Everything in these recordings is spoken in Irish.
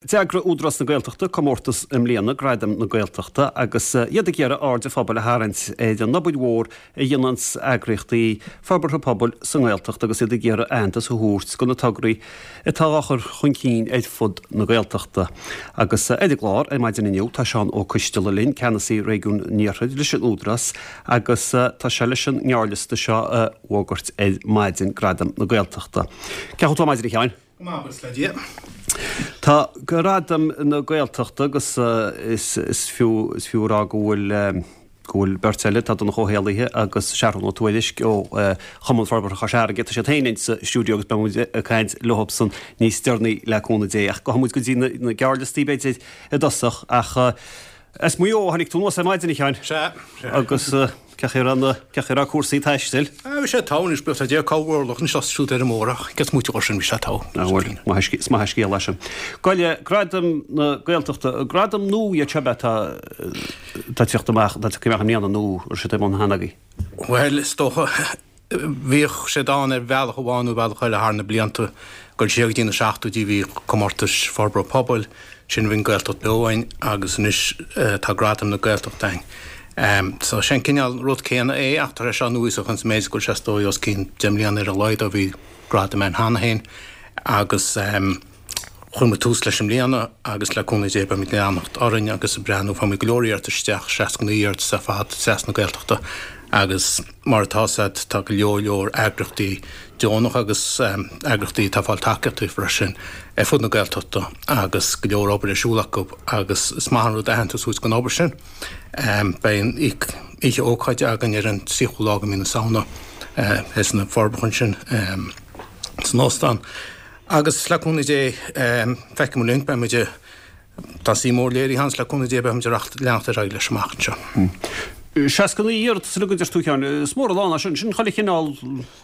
D'eagraigh Údarás na Gaeltachta comórtas i mbliana, Gradaim na Gaeltachta, agus iad ag iarraidh aird an phobail a tharraingt ar an obair mhór a dhéananns eagraíochtaí forbartha pobail sa nGaeltacht agus iad ag iarraidh aitheantas a thabhairt do na tograí atá á chur chun cinn ar fud na Gaeltachta. Agus ar an gclár ar maidin inniu tá Seán Ó Coisteala linn, Ceannasaí Réigiún an Iarthair leis an Údarás agus tá sé leis an ngearrliosta seo a fhógairt ar maidin, Gradaim na Gaeltachta. Cén chaoi a bhfuil tú ar maidin a Sheáin? Go maith, buíochas le Dia. Tá Gradaim na Gaeltachta agus is fiú is fiú a rá go bhfuil go bhfuil beirt eile, tá Donncha Ó hÉallaithe agus Seathrún Ó Tuairisg ó Chumann Forbartha Chois Fharraige, tá siad féin insa stiúideo agus beidh muid ag caint leosan níos deireanaí le cúnamh Dé. Ach gabhfaidh muid go dtí na gearrliostaí b'fhéidir i dtosach ach as Maigh Eo a tháinig tú anuas ar maidin, a Sheáin. Sea, sea. Agus cén chaoi a raibh na, cén chaoi a raibh cúrsaí taistil? Ah, bhí sé togha anois, buíochas le Dia, corr-mhurlach anseo is siúd ar an mbóthar ach cé is moite dhó sin, bhí sé togha. Ah bhuel, maith an scéal, is maith an scéal é sin. Gabh i leith, Gradaim na Gaeltachta, gradam nua iad seo ab ea atá, atá ag teacht amach, atá tagtha amach i mbliana nó an raibh siad ar bun cheana agaibh? Bhuel, is dócha, Bhíodh siad ann ar bhealach amháin nó bealach eile thar na blianta. Ag dul siar go dtí na seachtóidí bhí comórtais forbartha pobail, ansin bhí an Gaeltacht Beo ann agus anois tá Gradaim na Gaeltachta ann. So sé an cineál rud céanna é ach tá sé seo núíosach ins an méid is go bhfuil sé is dóigh os cionn 10 mbliana ar a laghad ó bhí gradaim ann cheana féin agus Chuir muid tús leis i mbliana agus le cúnamh Dé beimid ag leanacht orainn agus ag breathnú. Fuair muid go leor iarratas isteach, 69 iarratas ar fad trasna na Gaeltachta agus mar atá 's a'd tá go leor leor eagraíochtaí deonach agus eagraíochtaí atá ag fáil tacaíochtaí freisin ar fud na Gaeltachta agus go leor obair ar siúl acu agus is maith an rud aitheantas a thabhairt don obair sin. Beidh an oíche ócáide againn ar an 30ú lá de mhí na Samhna thíos sna Forbacha ansin san óstán. Agus le cúnamh Dé, feicfidh muid linn, beidh muid, tá suim mhór léirithe ann, le cúnamh Dé beidh muid ag leanacht ar aghaidh leis amach anseo. 69 iarratas uilig a deir tú, a Sheáin. Is mór a lán é sin. Sin chuile chineál,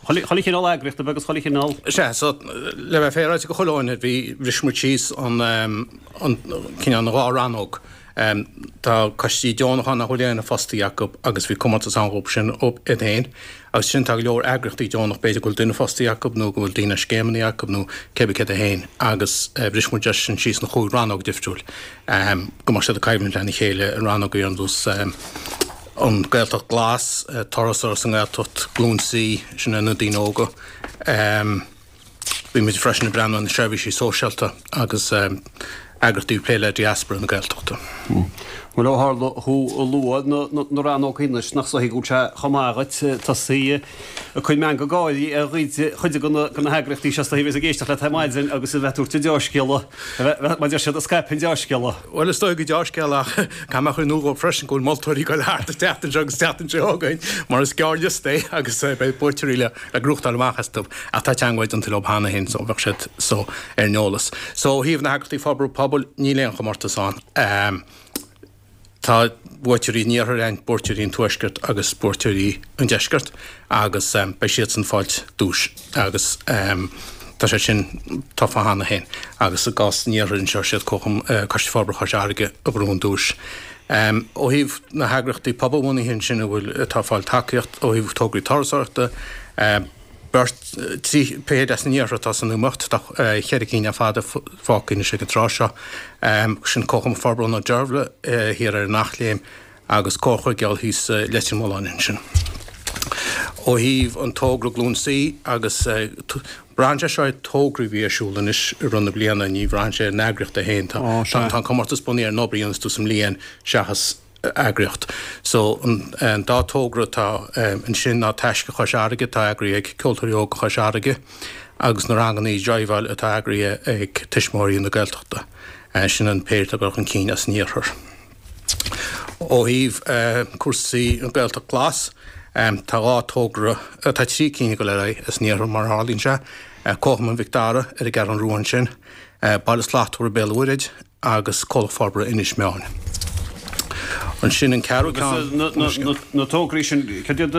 chuile chineál eagraíochta ab ea agus chuile chineál. Sea, so, le bheith féaráilte go chuile dhuine, bhí, bhris muid síos an, an cineál ina dhá rannóg. Tá coistí deonacha ann nach bhfuil aon fostaí acu agus bhí comórtas ann dhóibh sin iad féin. Agus ansin tá go leor eagraíochtaí deonach, b'fhéidir go bhfuil duine fostaí acu nó go bhfuil daoine ar scéimeanna acu nó cé bith céard é féin agus bhris muid é sin síos ina chúig rannóg difriúil go mbeadh siad ag coimhlint lena chéile, rannóga ar nós an Gaeltacht Glas, Turasóireacht sa nGaeltacht, Glúin C, sin na daoine óga. Bhí muid freisin ag breathnú ar na seirbhísí sóisialta agus eagraíochtaí ag plé le diaspora na Gaeltachta. Bhuel, ó tharla thú ag lua na rannógaí anois, nach dóichí go bhfuil sé chomh maith dhuit tosaí ag cur meangadh gáirí ar chuid de na heagraíochtaí seo is dóichí a bheas ag éisteacht leat ar maidin agus a bheith ag tabhairt an deá-scéala, mar a deir siad, ag scaipeadh an deá-scéala. Bhuel, is dóigh go deá-scéala ach caithfidh mé a chur in iúl dhóibh freisin go bhfuil moltóirí ag dul thart an tseachtain seo agus an tseachtain seo chugainn mar is gearrliosta é agus beidh buaiteoirí le le gnóthachtáil amach astu ach tá teagmháil déanta leo cheana féin so bheadh siad so ar an eolas. So ó thaobh na heagraíochtaí forbartha pobail níl aon chomórtas ann. Tá buaiteoirí an iarthair ann, buaiteoirí an tuaiscirt agus buaiteoirí an deiscirt agus beidh siadsan ag fáilt duais agus tá sé sin tofa cheana féin agus i gcás an iarthair anseo siad Coiste Forbartha Chois Fharraige a ghnóthaigh an duais. Ó thaobh na heagraíochtaí pobalbhunaithe ansin a bhfuil, atá ag fáil tacaíocht ó thaobh tograí turasóireachta, beirt, 3 fichid as an iarthar atá san iomaíocht, tá cheithre cinn ar fad fágtha anois ag an tráth seo. Sin Comharchumann Forbartha na Deirbhle thiar ar an Eachléim agus Comhar Chuigéal thíos i Leitir Mealláin ansin. Ó thaobh an togra Glúin C agus Braitheann sé seo ar tograí a bhí ar siúl anois i rith na bliana, ní bhraitheann sé ar an eagraíocht é féin. Tá an comórtas bunaithe ar an obair a dhéanas tú sa mbliain seachas eagraíocht. So an dá togra atá ansin ná Taisce Chois Fharraige atá eagraithe ag Ceoltóirí Óga Chois Fharraige agus na rangannaí driveáil atá eagraithe ag Tuismitheoirí na Gaeltachta. Sin an péire atá ag dul chun cinn as an iarthar. Ó thaobh cúrsaí an Ghaeltacht Glas, tá dhá togra, tá 3 cinn ag dul ar aghaidh as an iarthar mar a tharlaíonn sé, Comharchumann Mhic Dara ar an gCeathrú Rua ansin, Baile Slachtmhar Béal an Mhuirthead agus Comhlacht Forbartha Inis Meáin. Ansin an ceathrú ceann. Na tograí sin, cad iad,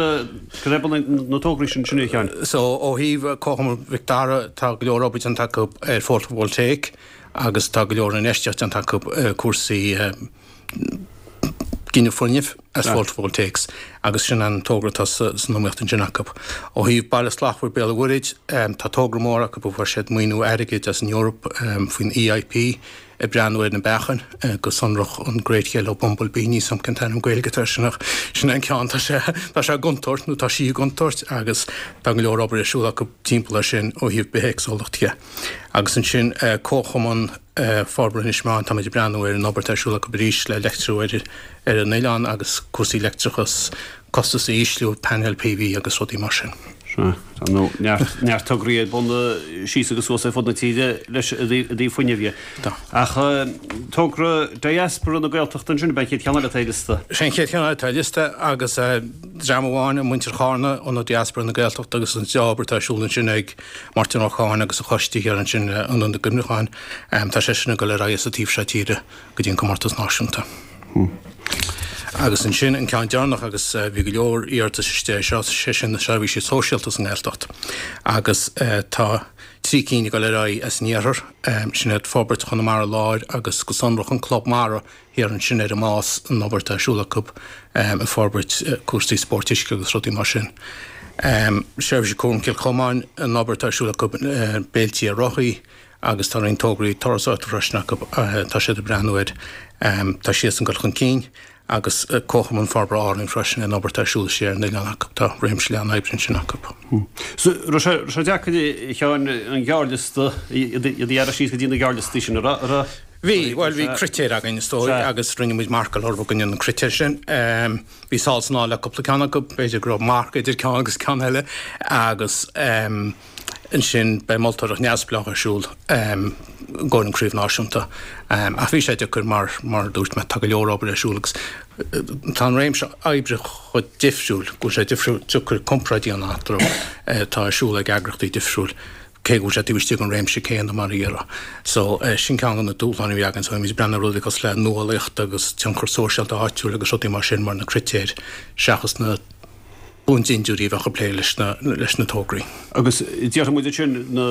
cad é bunadh na tograí sin sin a Sheáin? So ó thaobh Comharchumann Mhic Dara, tá go leor obair déanta acu ar photovoltaic, agus tá go leor infheistíocht déanta acu i cúrsaí gineadh fuinnimh as photovoltaics agus sin an togra atá san iomaíocht ansin acu. Ó thaobh Baile Slachtmhar Béal an Mhuirthead, tá togra mór acu a fuair siad maoiniú airgid as an Eoraip faoin EIP. ag breathnú ar na beachain, go sonrach an Great Yellow Bumble Bee, níl 's a'm cén t-ainm Gaeilge atá air sin ach sin é an ceann, tá sé, tá sé i gcontúirt nó tá sí i gcontúirt agus tá go leor obair ar siúl acu timpeall air sin ó thaobh bithéagsúlacht dhe. Agus ansin Comharchumann Forbartha Inis Meáin, táimid ag breathnú ar an obair atá ar siúl acu arís le leictriú ar ar an oileán agus cúrsaí leictreachas, costas a ísliú, painéil PV agus rudaí mar sin. Sea, tá nó neart, neart tograí ar bun síos agus suas ar fud na tíre leis i dtaobh fuinnimh dhe. Tá. Ach togra Diaspora na Gaeltachta ansin, ab é an chéad cheann eile atá ar liosta? Sé an chéad cheann eile atá ar liosta agus dream amháin, muintir Chárna, Ionad Diaspora na Gaeltachta agus an obair atá ar siúl ansin ag Máirtín Ó Cadhain agus a choiste thiar ansin le Ionad na gCuimhneachán. Tá sé sin ag dul ar aghaidh sa taobh seo tíre. go dtí an comórtas náisiúnta. Agus ansin an ceann deireanach agus bhí go leor iarratas istigh air seo, sé sin na seirbhísí sóisialta sa nGaeltacht. Agus tá trí cinn ag dul ar aghaidh as an iarthar, sin iad Forbairt Chonamara Láir agus go sonrach an Club Mara thiar ansin ar an Nás, an obair atá ar siúl acu ag forbairt cúrsaí spóirt uisce agus rudaí mar sin. Seirbhísí Cúraim Chill Chomáin, an obair atá ar siúl acu béiltí ar rothaí, agus tá roinnt tograí turasóireachta freisin acu, tá siad ag breathnú air, tá siadsan ag dul chun cinn agus Comharchumann Forbartha Árainn freisin, an obair atá ar siúl istigh ar an oileán acu, tá réimse leathan oibre ansin acu. So, raibh sé, raibh sé deacair a Sheáin an gearrliosta, iad a ghearradh síos go dtí na gearrliostaí sin, an raibh, raibh? Bhí, bhuel bhí critéir againn is dóigh agus rinne muid marcáil orthu i gcoinne na critéir sin. Bhí sall is anall le cúpla ceann acu, b'fhéidir go raibh marc idir ceann agus ceann eile agus. Ansin beidh moltóireacht neamhspleách ar siúl i gcomhair an craobh náisiúnta. Ach bhí sé deacair mar, mar a dúirt mé, tá go leor obair ar siúl agus tá an réimse oibre chomh difriúil go bhfuil sé difriúil, deacair comparáid a dhéanamh eatarthu atá ar siúl ag eagraíochtaí difriúil cé go bhfuil sé taobh istigh den réimse céanna mar a déarfá. So sin ceann de na dúshláin a bhí againn. So bhí muid ag breathnú ar rudaí cosúil le nuálaíocht agus tionchar sóisialta áitiúil agus rudaí mar sin mar na critéir seachas na bundindiúirí a bheadh ag plé leis na leis na tograí. Agus déarfaidh muid ansin na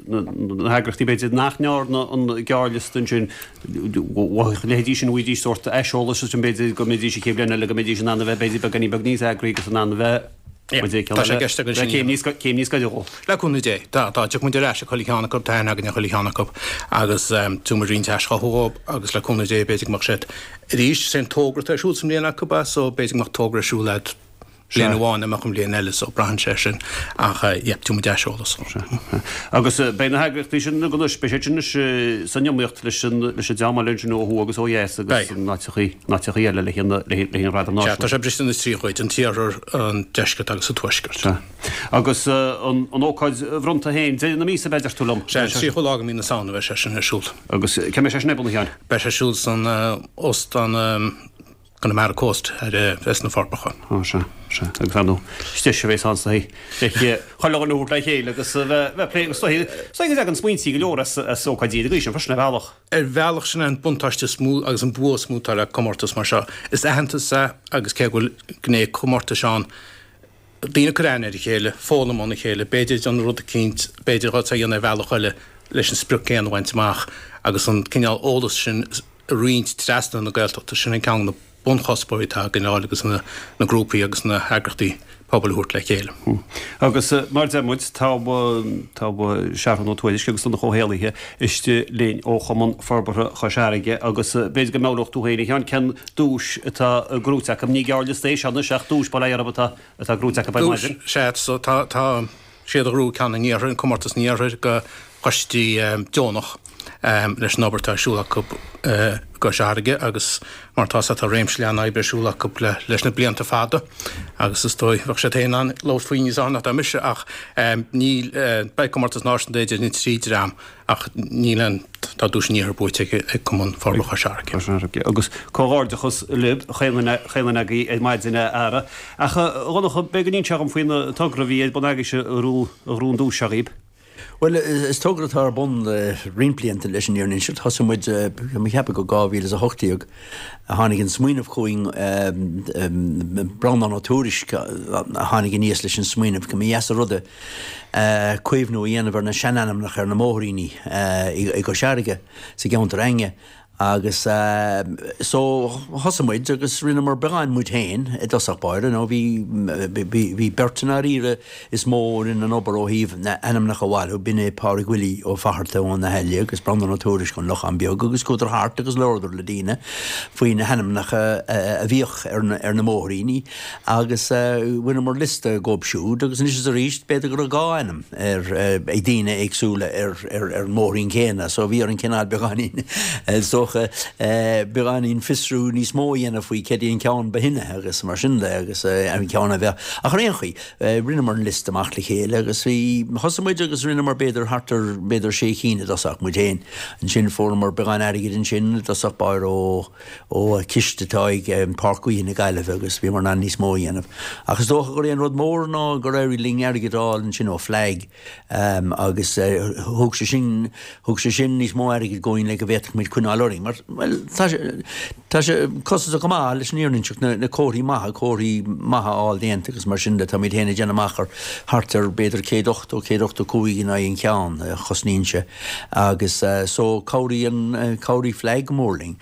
na heagraíochtaí b'fhéidir nach ndearna an gearrliosta ansin, mhothaigh a leithéidí sin bhfaighidís sórt aiseolas ansin b'fhéidir go mbeidís an chéad bhliain eile go mbeidís in ann a bheith b'fhéidir beagáinín beag níos eagraí agus in ann a bheith b'fhéidir Tá sé i gceist againn sin a céim níos céim níos gaire dhó. Le cúnamh Dé. Tá, tá, tiocfaidh muid ar ais ag chuile cheann acu, tá aithne againn ar chuile cheann acu agus tabharfaidh muid roinnt aischothú dhóibh agus le cúnamh Dé b'fhéidir go mbeadh siad Arís, is é an togra atá ar siúl sa mbliain acu é, so b'fhéidir go mbeadh togra ar siúl agat bliain amháin nach mbeadh an bhliain eile, so braitheann sé sin. Ach yeah, tabharfaidh muid aiseolas. Sea. Agus beidh na heagraíochtaí sin anois, beidh siad sin anois san iomaíocht leis an leis an dream eile ansin ó thuaidh agus ó dheas agus in áiteachaí, in áiteachaí eile le haghaidh le haghaidh an Ghradam Náisiúnta. Sea, tá sé briste ina thrí chuid, an t-iarthar, an deisceart agus an tuaisceart. Sea. Agus an ócáid bhronnta féin, deireadh na míosa, deir tú liom? Sea, an 30ú lá de mhí na Samhna a bheidh sé sin ar siúl. Agus cá mbeidh sé sin ar bun, a Sheáin? Beidh sé ar siúl san Óstán Connemara Coast ar sna Forbacha. Ó sea, sea. Agus ar ndóigh, is deis a bheas ann sa le chuile dhuine a thabhairt le chéile agus a bheith ag plé agus is dóigh is dóigh go dtagann smaointí go leor as as ócáidí den gcaoi sin freisin ar bhealach. Ar bhealach sin é an buntáiste is mó agus an bua is mó atá le comórtas mar seo. Is aitheantas é agus cé go bhfuil gné comórtais ann, daoine ag cur aithne ar a chéile, foghlaim óna chéile, b'fhéidir déanamh rud eicínt, b'fhéidir dhá a dhéanamh ar bhealach eile leis an sprioc céanna a bhaint amach agus an cineál eolas sin a roinnt trasna na Gaeltachta, sin an ceann de na bunchuspóirí atá againn a fháil agus na grúpaí agus na heagraíochtaí pobail a thabhairt le chéile. Agus mar a deir muid, tá tá Seathrún Ó Tuairisg agus Donncha Ó hÉallaithe istigh linn ó Chumann Forbartha Chois Fharraige agus b'fhéidir go meabhródh tú féin a Sheáin cén duais atá gnóite acu. Ní gearrliosta é seo anois ach duais bail ó Dhia orthu atá atá gnóite acu ar maidin. Duais, sea. So tá tá siad a ghnóthaigh ceann an iarthair, an comórtas an iarthair do choistí deonach leis an obair atá ar siúl acu i gCois Fharraige agus mar atá sé tá réimse leathan oibre ar siúl acu le leis na blianta fada agus is dóigh bheadh siad féin in ann labhairt faoi níos fearr ná mise ach níl beidh comórtas náisiúnta idir na trí dream Ach níl aon, tá duais an iarthair buaite ag Cumann Forbartha Chois Fharraige. Cois Fharraige. Agus comhghairdeachas libh, chaon duine agaibh ar maidin a fheara. Ach a Dhonncha, b'fhéidir go n-inseofá dhom faoin togra a bhí ar bun agaibhse a ghnóthaigh an duais seo dhaoib. Bhuel, is togra atá ar bun le roinnt blianta leis an fhírinne a inseacht. Thosaigh muid, tá mé ag ceapadh go 2018 a tháinig an smaoineamh chugainn, Breandán Ó Tuairisg a tháinig aníos leis an smaoineamh go mba dheas an rud é caomhnú a dhéanamh ar na seanainmneacha ar na mbóithríní i gCois Fharraige, sa gceantar againne. Agus so thosaigh muid agus rinneamar beagán muid féin i dtosach báire, nó bhí, bhí beirt i ndáiríre is mó a rinne an obair ó thaobh na n-ainmneacha a bhailiú, b'in é Pádraig Willie Ó Fatharta ó na hAille agus Breandán Ó Tuairisg ón Lochán Beag agus chuadar thart agus labhradar le daoine faoi na hainmneacha a bhíodh ar na, ar na mbóithríní agus bhaineamar liosta dhóibh siúd agus anois is arís b'fhéidir go raibh dhá ainm ar, ag daoine éagsúla ar. ar an mbóithrín céanna so bhí orainn cineál beagáinín is dócha beagáinín fiosrú níos mó a dhéanamh faoi céard é an ceann ba shine agus mar sin de agus an ceann a bheadh ach ar aon chaoi rinneamar an liosta amach le chéile agus bhí thosaigh muid agus rinneamar b'fhéidir thart ar b'fhéidir sé chinn i dtosach muid féin ansin fuaireamar beagán airgid ansin i dtosach báire ó ó chiste atá ag Páirc Gaoithe na Gaillimhe agus bhíomar in ann níos mó a dhéanamh ach is dócha gur é an rud mór ná gur éirigh linn airgead a fháil ansin ó FLAG Agus thug sé sin, thug sé sin níos mó airgid dhúinn le go bhféadfadh muid coinneáil orainn mar, bhuel, tá sé, tá sé costasach go maith leis an fhírinne a inseacht, na, na comharthaí maithe, comharthaí maithe a fháil déanta agus mar sin de, táimid féin ag déanamh amach ar thart ar b'fhéidir 180, 185 in aghaidh an cheann a chosnaíonn sé agus so cabhraíonn, chabhraigh FLAG go mór linn.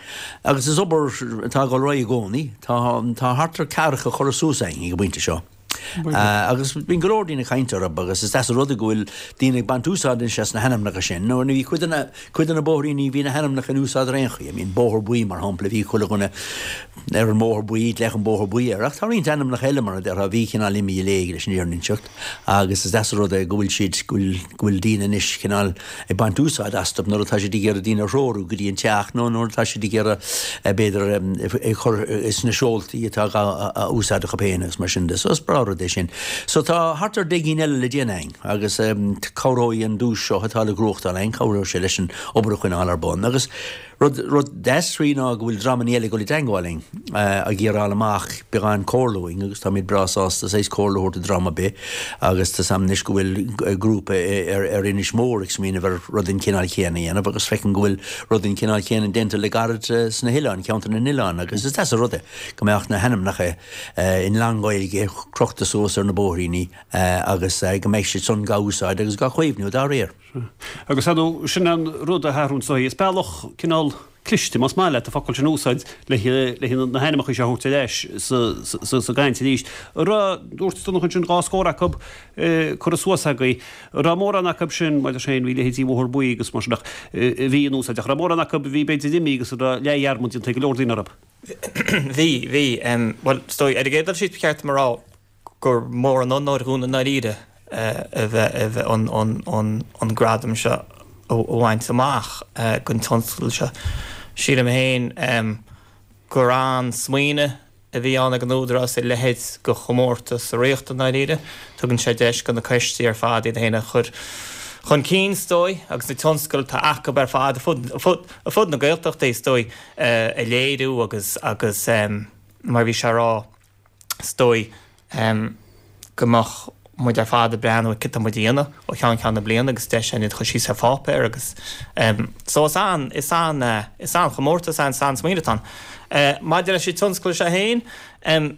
Agus is obair atá ag dul ar aghaidh i gcónaí, tá, tá thart ar ceathracha curtha suas againn ag an bpointe seo. Agus bíonn go leor daoine ag caint orthu agus is deas an rud é go bhfuil daoine ag baint úsáid anois as na hainmneacha sin. Nó bhí cuid de na, cuid de na bóithríní, bhí na hainmneacha in úsáid ar aon chaoi. I mean, Bóthar Buí mar shampla, bhí chuile dhuine ar an mBóthar Buí, glaodh an Bóthar Buí air. Ach tá roinnt ainmneacha eile mar a déarfá, a bhí cineál imithe i léig leis an fhírinne a inseacht. Agus is deas an rud é go bhfuil siad, go bhfuil, go bhfuil daoine anois cineál ag baint úsáid astu nuair atá siad ag iarraidh daoine a threorú go dtí an teach nó nuair atá siad ag iarraidh b'fhéidir ag cur sna seoltaí atá á úsáid acu féin agus mar sin de. So is breá rud é sin. So tá thart ar 10 gcinn eile le déanamh againn agus cabhróidh an duais seo atá le gnóthachtáil againn, cabhróidh sé leis an obair a choinneáil ar bun agus Rud, rud deas faoi ná go bhfuil dreamanna eile ag dul i dteangmháil linn, ag iarraidh fháil amach beagán comhairle uainn agus táimid breá sásta saghas comhairle a thabhairt do dream ar bith agus tá 's a'm anois go bhfuil grúpa ar, ar Inis Mór ag smaoineamh ar rud den chineál chéanna a dhéanamh agus feicim go bhfuil rud den chineál chéanna déanta le gairid sna hoileáin, ceantar na n-oileán agus is deas an rud é go mbeadh na hainmneacha i nglan-Ghaeilge crochta suas ar na bóithríní agus go mbeidh siad san dhá úsáid agus dhá chaomhnú dá réir. Agus ar ndóigh, sin an rud a tharlaíonn so is bealach cineál cliste, más maith leat an focal sin a úsáid, le na hainmneacha seo a thabhairt ar ais sa gcaint arís. An raibh, dúirt Donncha ansin, dhá scór acu curtha suas agaibh. An raibh mórán acu sin, mar sin, bhí leithéidí Bhóthar Buí agus mar sin ach a bhí in úsáid, ach an raibh mórán acu a bhí b'fhéidir imithe agus a raibh leathdhearmad déanta ag go leor daoine orthu? Bhí, bhí. Bhuel, is dóigh, ar an gcéad dul síos ba cheart dom a rá, gur mór an onóir dhúinn i ndáiríre a bheith an gradam seo a bhaint amach don tionscadal seo. Sílim féin gur an-smaoineamh a bhí ann ag an Údarás a leithéid de chomórtas a reáchtáil i ndáiríre. Tugann sé deis do na coistí ar fad iad féin a chur chun cinn, is dóigh, agus na tionscadail atá acu ar fad ar fud na Gaeltachta, is dóigh, a léiriú agus agus mar a bhí sé a rá, is dóigh go mbeadh muid ar fad ag breathnú ar cad tá muid a dhéanamh ó cheann ceann na bliana agus deis againn iad a chur síos ar pháipéar agus so is an is an is an-chomórtas é is an-smaoineamh atá ann. Maidir leis an tionscadal seo féin,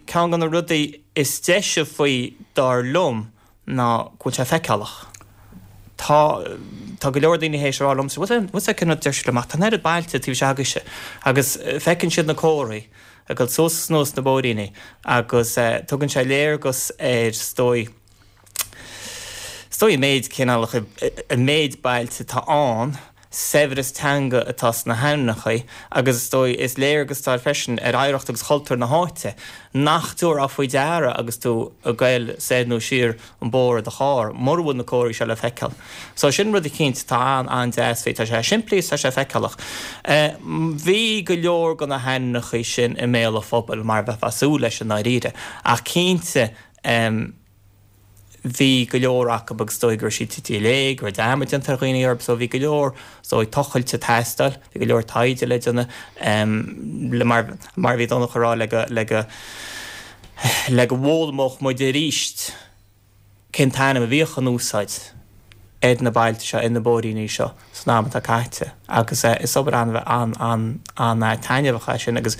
ceann de na rudaí is deise faoi dar liom ná go bhfuil sé feiceálach. Tá tá go leor daoine théis a rá liomsa, bhfuil a fhios agat cén rud a deir siad liom ach tá an oiread bailte taobh istigh agaibhse agus feiceann siad na comharthaí ag dul suas is anuas na bóithríní agus tugann sé léargas ar is dóigh is dóigh an méid cineálacha an méid bailte atá ann saibhreas teanga atá sna hainmneacha agus is dóigh is léargas atá air freisin ar oidhreacht agus chultúr na háite nach dtabharfá faoi deara agus tú ag goil soir nó siar an bóthar i do charr mura bhfuil na comharthaí seo le feiceáil. So sin rud eicínt atá an-an-deas faoi, tá sé simplí is tá sé feiceálach. Bhí go leor de na hainmneacha sin i mbéal an phobail mar a bheifeá ag súil leis i ndáiríre ach cinnte bhí go leor acu agus is dóigh go raibh siad tite i léig, go raibh dearmad déanta ar dhaoine orthu so bhí go leor is dóigh tochailte ag teastáil, bhí go leor taighde le déanamh le mar mar a bhí Donncha a rá le go le go le go bhfoghlaimeodh muid arís cén t-ainm a bhíodh in úsáid ar na bailte seo, ar na bóithríní seo san am atá caite agus is obair an-an-an-taitneamhach é sin agus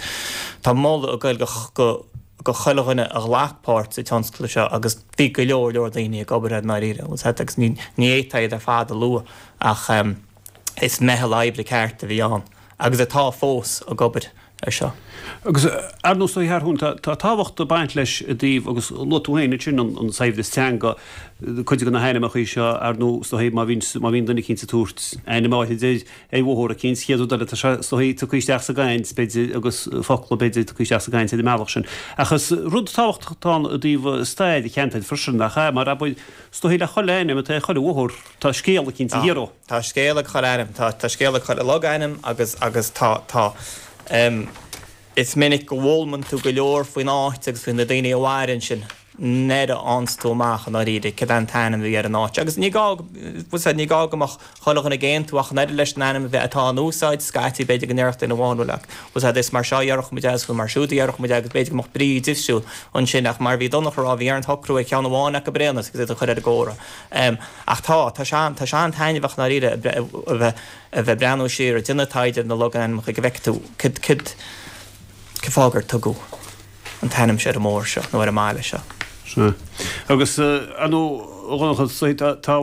tá moladh ag goil go go chuile dhuine a ghlac páirt sa tionscadal seo agus bhí go leor leor daoine ag obair air i ndáiríre agus ní ní fhéadfá iad ar fad a lua ach is meitheal oibre ceart a bhí ann. agus atá fós ag obair air seo. Agus ar ndóigh a Sheathrúin, tá tábhacht ag baint leis i dtaobh, agus luaigh tú féin ansin an saibhreas teanga, cuid de na hainmneacha seo, ar ndóigh, is dóigh má bhíonn, má bhíonn duine eicínt ag tabhairt ainm áitrid ar, ar bhóthar eicínt, chéad rud eile tá sé, is dóigh, tugtha isteach sa gcaint, b'fhéidir, agus focla, b'fhéidir, tugtha isteach sa gcaint ar an mbealach sin. Ach is rud tábhachtach atá ann i dtaobh stair an cheantair freisin, nach ea? Mar abair, is dóigh le chuile ainm atá ar chuile bhóthar, tá scéal eicínt thiar ó. Tá scéal ag chuile ainm, tá, tá scéal ag chuile logainm agus, agus tá, tá, em, is minic go bhfoghlaimeann tú go leor faoin áit agus faoi na daoine a mhair ansin nuair a fhaigheanns tú amach i ndáiríre cad é an t-ainm a bhí ar an áit. Agus ní gá, bhfuil 's a'd, ní gá go mbeadh chuile dhuine ag aontú ach an oiread leis an ainm a bheith, atá in úsáid, scaití b'fhéidir go ndéarfadh duine amháin bhuel, bhfuil 's a'd, is mar seo a dhéarfadh muid é agus mar siúd a dhéarfadh muid é agus b'fhéidir go mbeadh brí difriúil ansin ach mar a bhí Donncha a rá, bhí orainn socrú ar cheann amháin acu ar aon nós agus iad a chur ar an gcomhartha. Ach tá, tá sé an, tá sé an-taitneamhach i ndáiríre a bheith, a bheith ag breathnú siar, ag déanamh taighde ar na logainmneacha go bhfeicfidh tú cad, cad, cén fáth gur tugadh an t-ainm seo ar an mbóthar seo nó ar an mbaile seo. Sea. Agus, ar ndóigh, a Dhonncha, tá, tá,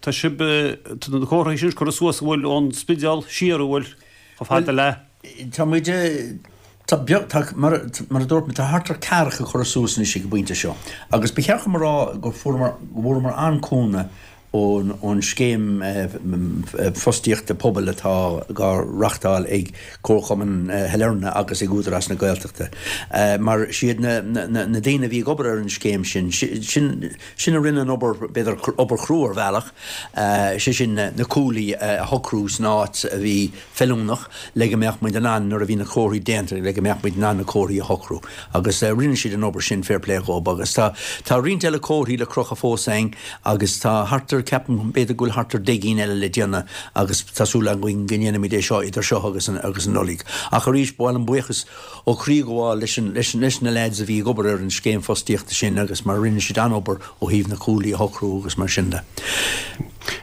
tá sibh, tá na comharthaí sin curtha suas an bhfuil ón Spidéal siar, an bhfuil, chomh fada le. Tá muid, tá beag, tá, mar, mar a dúirt mé, tá thart ar ceathracha curtha suas anois ag an bpointe seo agus ba cheart dom a rá go fuaireamar, go bhfuaireamar an-cúnamh ón, ón scéim fostaíochta pobail atá dhá reachtáil ag Comharchumann Shailearna agus ag Údarás na Gaeltachta mar siad na, na, na daoine a bhí ag obair ar an scéim sin, sin, sin a rinne an obair, b'fhéidir obair chrua ar bhealach, sé sin na cuaillí a shocrú san áit a bhí feiliúnach le go mbeadh muid in ann, nuair a bhí na comharthaí déanta, le go mbeadh muid in ann na comharthaí a shocrú. Agus rinne siad an obair sin, fair play dhób. Agus tá, tá roinnt eile comharthaí le crochadh fós a'inn agus tá thart ar, ceapaim, b'fhéidir go bhfuil thart ar 10 gcinn eile le déanamh agus tá súil againn go ndéanfaimid é seo idir seo agus an, agus an Nollaig. Ach arís, ba mhaith liom buíochas ó chroí a ghabháil leis an, leis, leis na leaids a bhí ag obair ar an scéim fostaíochta sin agus mar rinne siad an-obair ó thaobh na cuaillí a shocrú agus mar sin de.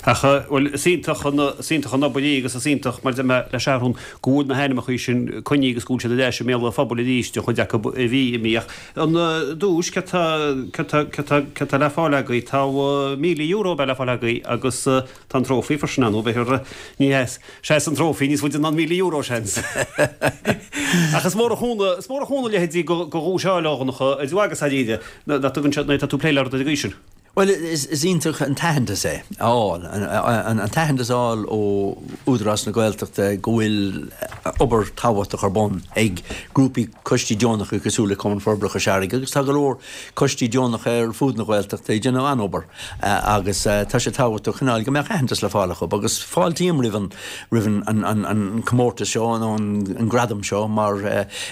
Ach, bhuel, is iontach an, is iontach an obair í agus is iontach, mar a deir mé le Seathrún, go bhfuil na hainmneacha sin coinnithe agus go bhfuil siad ar ais i mbéal an phobail arís, an chuid acu a bhí imithe. Ach an duais, céard tá, céard tá, céard tá, céard tá le fáil agaibh? Tá €1,000 a bheidh le fáil agaibh agus tá an trófaí freisin ann, nó b'fhéidir, ní hea, seas an trófaí níos faide ná an €1,000, seans. Ach is mór an chúnamh, is mór an chúnamh leithéidí de dhuais a fháil, a Dhonncha, idir mhaith agus dáiríre. Nach dtugann sé, nuair atá tú ag plé le rud ar an gcaoi sin. Bhuel, is iontach an t-aitheantas é a fháil, an t-aitheantas a fháil ó Údarás na Gaeltachta go bhfuil obair tábhachtach ar bun ag grúpaí coistí deonacha cosúil le Cumann Forbartha Chois Fharraige agus tá go leor coistí deonacha ar fud na Gaeltachta ag déanamh an-obair agus tá sé tábhachtach cineál go mbeadh aitheantas le fáil acu agus fáiltím roimh an roimh an comórtas seo nó an gradam seo mar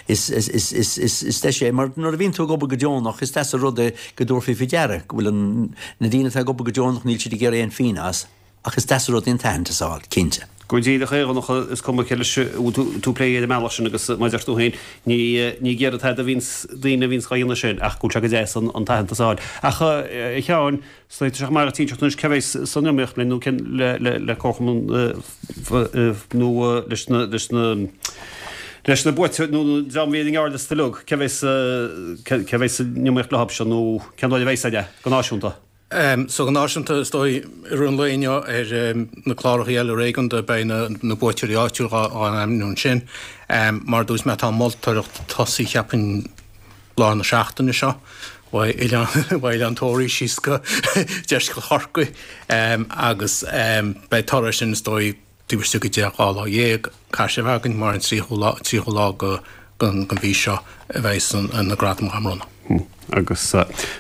is deis é mar nuair a bhíonn tú ag obair go deonach is deas an rud é go dtabharfaí faoi deara go bhfuil an, na daoine atá ag obair go deonach, níl siad ag iarraidh aon phingin as, ach is deas an rud é an t-aitheantas a fháil, cinnte. Go díreach é, a Dhonncha, is cuma cé leis a bhfuil tú ag plé ar an mbealach sin agus mar a deir tú féin, ní, ní ag iarraidh tada a bhíonns daoine a bhíonns dhá dhéanamh sin ach go bhfuil sé go deas an, an t-aitheantas a fháil. Ach a Sheáin, is dóigh tá sé chomh maith duit inseacht anois cé bheas san iomaíocht linn nó cén le, le, le Comharchumann nó leis na, leis na, leis na buaiteoirí nó an dream a bhí ar an ngearrliosta uilig, cé bheas, cé bheas san iomaíocht leo seo nó cén dóigh a bheidh sé go náisiúnta? So go náisiúnta, is dóigh, i rith an lae inniu ar na cláracha eile réigiúnda beidh na buaiteoirí áitiúil á n-ainmniú ansin. Mar a dúirt mé tá an mholtóireacht ag tosaí cheapfainn lár na seachtaine seo uaidh Oileán Tóraí síos go deisceart Chorcaí agus beidh toradh sin is dóigh taobh istigh de 2 lá, caithfidh sé a bheith againn mar an 30ú lá, 30ú lá den mhí seo a bheidh na gradaim á mbronnadh. Agus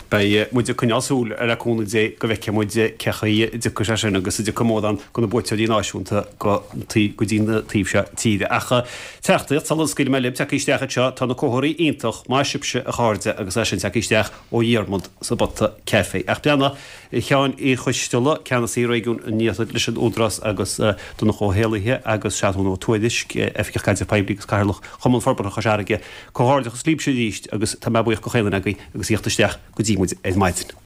beidh muid ag coinneáil súil le cúnamh Dé go bhfeicfidh muid cé chaoi a dtiocfaidh sé sin agus an dtiocfaidh mórán de na buaiteoirí náisiúnta go go dtí an taobh seo tíre. Ach teachtaireacht sula scaoilfidh mé libh tagtha isteach anseo, tá na comharthaí iontach, maith sibhse a chairde agus é sin tagtha isteach ó Dhiarmaid sa bPota Caife. Ach breathnaigh, a Sheáin Uí Choisteala, Ceannasaí Réigiún an Iarthair leis an Údarás agus Donncha Ó hÉallaithe agus Seathrún Ó Tuairisg, Oifigeach Caidrimh Poiblí agus Cathaoirleach Chumann Forbartha Chois Fharraige. Comhghairdeachas libhse arís agus tá mé buíoch de chaon duine agaibh agus a thíocht isteach go dtí muid ar maidin.